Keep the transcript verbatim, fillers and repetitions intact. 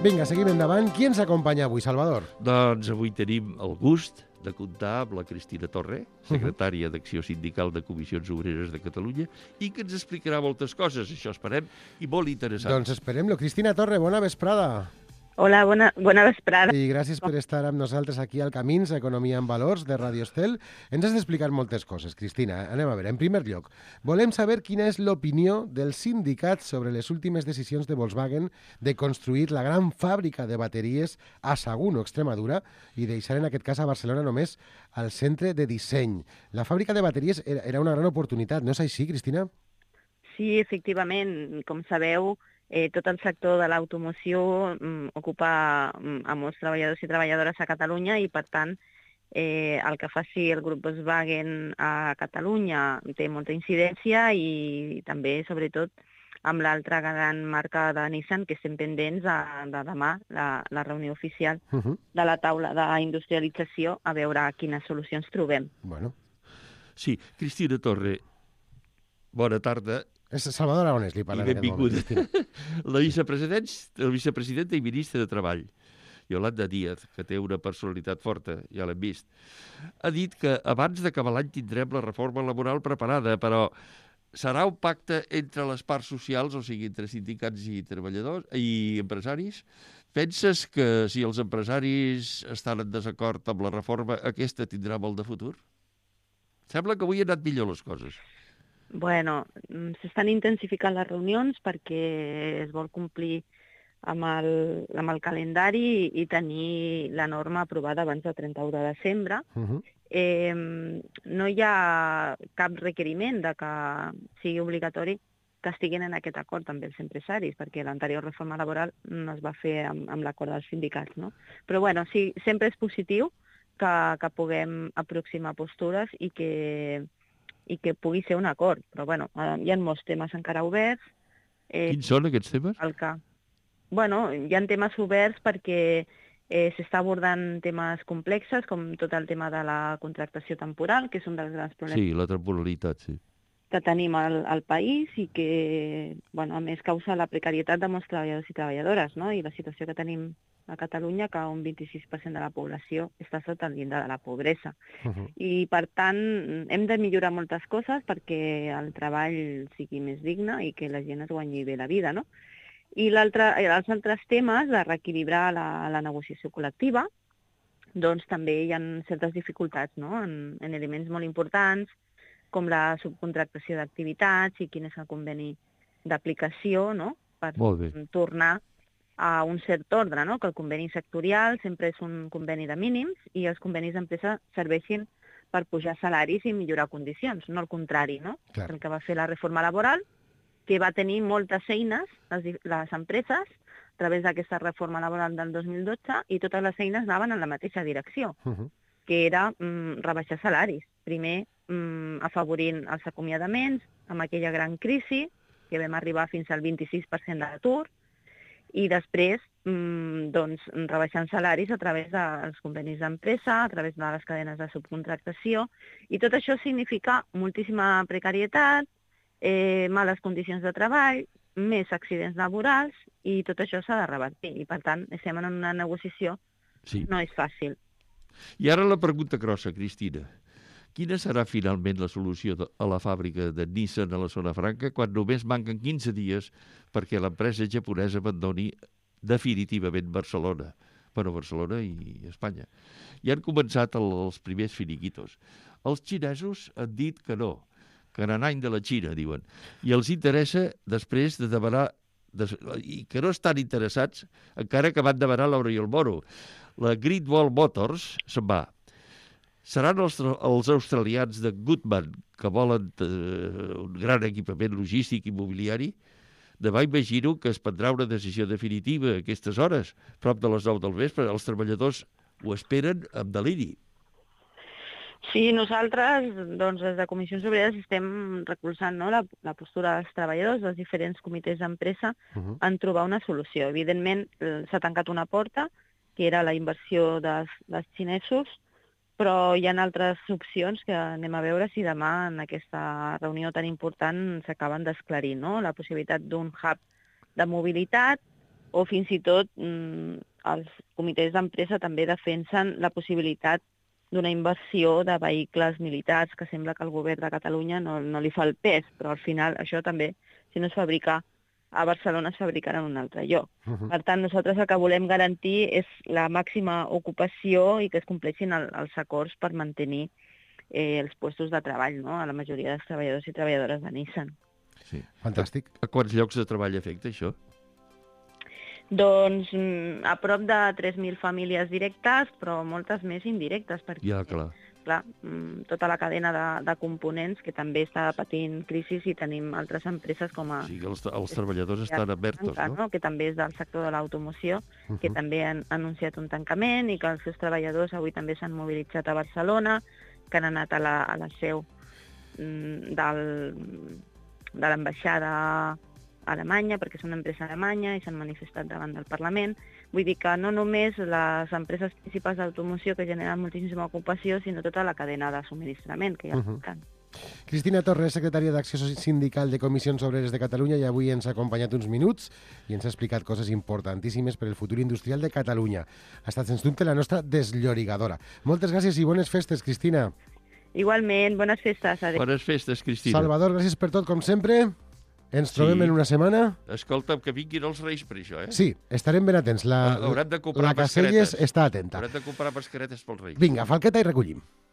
Vinga, seguim endavant. Qui ens acompanya avui, Salvador? Doncs avui tenim el gust de comptar amb la Cristina Torre, secretària d'Acció Sindical de Comissions Obreres de Catalunya, i que ens explicarà moltes coses, això esperem, i molt interessant. Doncs esperem-lo. Cristina Torre, bona vesprada. Hola, bona, bona vesprada. I gràcies per estar amb nosaltres aquí al Camins, Economia en Valors, de Radio Estel. Ens has d'explicar moltes coses, Cristina. Anem a veure, en primer lloc, volem saber quina és l'opinió dels sindicats sobre les últimes decisions de Volkswagen de construir la gran fàbrica de bateries a Sagunt, Extremadura, i deixar en aquest cas a Barcelona només al centre de disseny. La fàbrica de bateries era, era una gran oportunitat, no és així, Cristina? Sí, efectivament. Com sabeu, Eh, tot el sector de l'automoció mm, ocupa mm, a molts treballadors i treballadores a Catalunya i, per tant, eh, el que faci el grup Volkswagen a Catalunya té molta incidència i també, sobretot, amb l'altra gran marca de Nissan, que estem pendents de, de demà, la, la reunió oficial uh -huh. de la taula d'industrialització, a veure quines solucions trobem. Bueno. Sí, Cristina Torre, bona tarda. És Salvador Aragonès, li parlaré. I benvinguda. La vicepresident, el vicepresidenta i ministra de Treball, Yolanda Díaz, que té una personalitat forta, ja l'hem vist, ha dit que abans d'acabar l'any tindrem la reforma laboral preparada, però serà un pacte entre les parts socials, o sigui, entre sindicats i treballadors i empresaris? Penses que si els empresaris estan en desacord amb la reforma, aquesta tindrà molt de futur? Sembla que avui han anat millor les coses. Bueno, s'estan intensificant les reunions perquè es vol complir amb el, amb el calendari i tenir la norma aprovada abans del trenta-u de desembre. Uh -huh. eh, no hi ha cap requeriment de que sigui obligatori que estiguin en aquest acord amb els empresaris, perquè l'anterior reforma laboral no es va fer amb, amb l'acord dels sindicats, no? Però bueno, sí, sempre és positiu que, que puguem aproximar postures i que i que pugui ser un acord. Però, bueno, hi ha molts temes encara oberts. Eh, Quins són aquests temes? El que... Bueno, hi ha temes oberts perquè eh, s'està abordant temes complexes, com tot el tema de la contractació temporal, que és un dels grans problemes. Sí, la temporalitat, sí. Que tenim al, al país i que, bueno, a més, causa la precarietat de molts treballadors i treballadores, no? I la situació que tenim a Catalunya, que un vint-i-sis per cent de la població està sota el llindar de la pobresa. Uh -huh. I, per tant, hem de millorar moltes coses perquè el treball sigui més digne i que la gent es guanyi bé la vida, no? I els altres temes de reequilibrar la, la negociació col·lectiva, doncs també hi ha certes dificultats, no? En, en elements molt importants, com la subcontractació d'activitats i quin és el conveni d'aplicació, no? Per tornar a un cert ordre, no? Que el conveni sectorial sempre és un conveni de mínims i els convenis d'empresa serveixin per pujar salaris i millorar condicions, no el contrari, no? Clar. El que va fer la reforma laboral, que va tenir moltes eines, les, les empreses, a través d'aquesta reforma laboral del dos mil dotze, i totes les eines anaven en la mateixa direcció, uh -huh. que era mm, rebaixar salaris. Primer, mm, afavorint els acomiadaments, amb aquella gran crisi, que vam arribar fins al vint-i-sis per cent de l'atur, i després mmm, doncs, rebaixant salaris a través dels convenis d'empresa, a través de les cadenes de subcontractació, i tot això significa moltíssima precarietat, eh, males condicions de treball, més accidents laborals, i tot això s'ha de revertir. I, per tant, estem en una negociació sí. No és fàcil. I ara la pregunta grossa, Cristina. Quina serà finalment la solució a la fàbrica de Nissan a la Zona Franca quan només manquen quinze dies perquè l'empresa japonesa abandoni definitivament Barcelona? Bueno, Barcelona i Espanya. I han començat els primers finiquitos. Els xinesos han dit que no, que en any de la Xina, diuen. I els interessa després de demanar, i que no estan interessats, encara que van demanar l'Euro i el Moro. La Great Wall Motors se'n va. Seran els, els australians de Goodman, que volen eh, un gran equipament logístic i mobiliari? Demà imagino que es prendrà una decisió definitiva a aquestes hores, prop de les nou del vespre. Els treballadors ho esperen amb deliri. Sí, nosaltres, doncs, des de Comissions Obreres estem recolzant, no, la, la postura dels treballadors, dels diferents comitès d'empresa, uh-huh. en trobar una solució. Evidentment, s'ha tancat una porta, que era la inversió dels, dels xinesos, però hi ha altres opcions que anem a veure si demà en aquesta reunió tan important s'acaben d'esclarir, no? La possibilitat d'un hub de mobilitat, o fins i tot mm, els comitès d'empresa també defensen la possibilitat d'una inversió de vehicles militars, que sembla que el govern de Catalunya no, no li fa el pes, però al final això també, si no es fabrica a Barcelona, es fabricarà en un altre lloc. Uh -huh. Per tant, nosaltres el que volem garantir és la màxima ocupació i que es compleixin el, els acords per mantenir eh, els puestos de treball, no?, a la majoria dels treballadors i treballadores de Nissan. Sí. Fantàstic. A quants llocs de treball afecta això? Doncs a prop de tres mil famílies directes, però moltes més indirectes, perquè Ja, clar. clar, tota la cadena de, de components que també està patint crisi i tenim altres empreses com a... O sigui, els, els treballadors estan abertos, no? no? Que també és del sector de l'automoció, uh -huh. que també han anunciat un tancament i que els seus treballadors avui també s'han mobilitzat a Barcelona, que han anat a la, a la seu del, de l'ambaixada Alemanya, perquè és una empresa alemanya i s'han manifestat davant del Parlament. Vull dir que no només les empreses principals d'automoció que generen moltíssima ocupació, sinó tota la cadena de subministrament que hi ha. Uh -huh. Cristina Torres, secretària d'Acció Sindical de Comissions Obreres de Catalunya, i avui ens ha acompanyat uns minuts i ens ha explicat coses importantíssimes per al futur industrial de Catalunya. Ha estat, sens dubte, la nostra desllorigadora. Moltes gràcies i bones festes, Cristina. Igualment, bones festes. Adéu. Bones festes, Cristina. Salvador, gràcies per tot, com sempre. Ens trobem sí. en una setmana. Escolta'm, que vinguin els Reis per això, eh? Sí, estarem ben atents. La, Hauran de comprar la Caselles està atenta. Hauran de comprar mascaretes pels Reis. Vinga, falqueta i recollim.